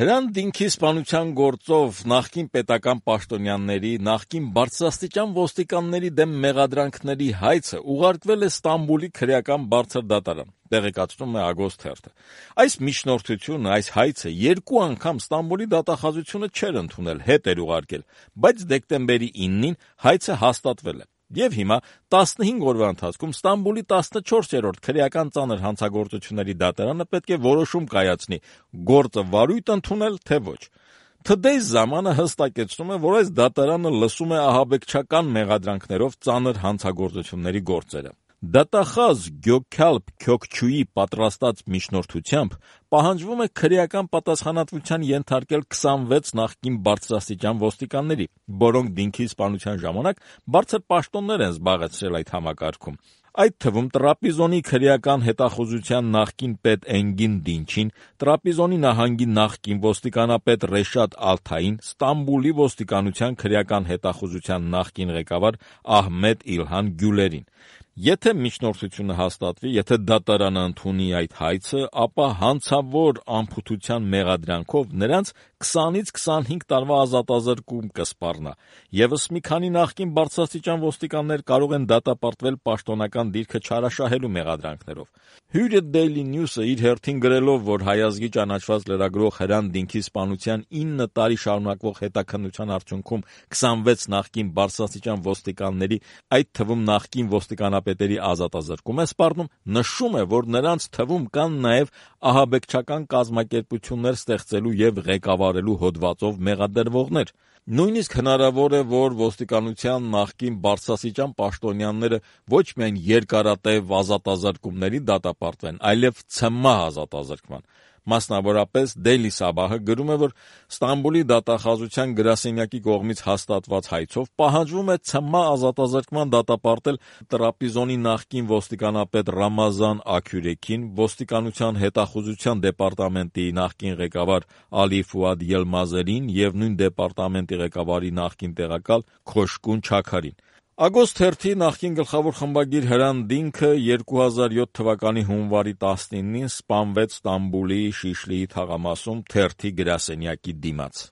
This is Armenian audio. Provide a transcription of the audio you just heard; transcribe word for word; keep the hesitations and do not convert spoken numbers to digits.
Հրանտ-Դինքի սպանության գործով նախկին պետական պաշտոնյաների, նախկին բարձրաստիճան ոստիկանների դեմ մեղադրանքների հայցը ուղարկվել է Ստամբուլի քրեական բարձր դատարան, տեղեկացնում է Ագոստ թերթը։ Այս միջնորդությունը, այս հայցը երկու անգամ Ստամբուլի դատախազությունը չէր ընդունել, հետ էր ուղարկել, բայց դեկտեմբերի իննին հայցը հաստատվել է։ Եվ հիմա տասնհինգ օրվա ընթացքում Ստամբուլի տասնչորսերորդ քրեական ծանր հանցագործությունների դատարանը պետք է որոշում կայացնի՝ գործը վարույթ ընդունել, թե ոչ։ Today's Zaman-ը հստակեցնում է, որ այս դատարանը լսում է ահաբեկչական մեղադրանքներով ծանր հանցագործությունների գործերը։ Դատախազ Գյոքալպ Քյոքչուի պատրաստած միջնորդությամբ պահանջվում է քրեական պատասխանատվության ենթարկել քսանվեց նախկին բարձրաստիճան ոստիկանների, որոնք Դինքի սպանության ժամանակ բարձր պաշտոններ են զբաղեցրել այդ համակարգում։ Այդ թվում Տրապիզոնի քրեական հետախուզության նախկին պետ Էնգին Դինչին, Տրապիզոնի նահանգի նախկին ոստիկանապետ Ռեշատ Ալթային, Ստամբուլի ոստիկանության քրեական հետախուզության նախկին ղեկավար Ահմեդ Իլհան Գյուլերին։ Եթե միջնորդությունը հաստատվի, եթե դատարանը ընդունի այդ հայցը, ապա հանցավոր անփութության մեղադրանքով նրանց քսանից քսանհինգ տարվա ազատազրկում կսպառնա։ Եվս մի քանի նախկին բարձրաստիճան ոստիկաններ կարող են դատապարտվել պաշտոնական դիրքը չարաշահելու մեղադրանքներով։ Հյուրը Daily News-ը իր հերթին գրելով, որ հայազգի ճանաչված լրագրող Հրանտ-Դինքի սպանության ինը տարի շարունակվող հետաքննության արդյունքում քսանվեց նախկին բարձրաստիճան ոստիկանների, այդ թվում նախկին ոստիկանապետերի ազատազրկում է սպառնում, նշում է, որ նրանց թվում կան նաև ահաբեկչական կազմակերպություններ ստեղծելու և ղեկավարելու հոդվածով մեղադրվողներ։ Նույնիսկ հնարավոր է, որ ոստիկանության նախկին բարձրաստիճան պաշտոնյաները ոչ միայն երկարատև ազատազրկումների դատապարտվեն, այլև ցմահ ազատազրկման։ Մասնավորապես Daily Sabah-ը գրում է, որ Ստամբուլի դատախազության գրասենյակի կողմից հաստատված հայցով պահանջվում է ցմահ ազատազրկման դատապարտել Տրապիզոնի նախկին ոստիկանապետ Ռամազան Աքյուրեքին, ոստիկանության հետախուզության դեպարտամենտի նախկին ղեկավար Ալի Ֆուադ Ելմազերին և նույն դեպարտամենտի ղեկավարի նախկին տեղակալ Քոշկուն Չաքարին։ Ագոստ թերթի նախկին գլխավոր խմբագիր Հրանտ-Դինքը երկու հազար յոթ թվականի հունվարի տասնինին սպանվեց Ստամբուլի Շիշլիի թաղամասում թերթի գրասենյակի դիմաց։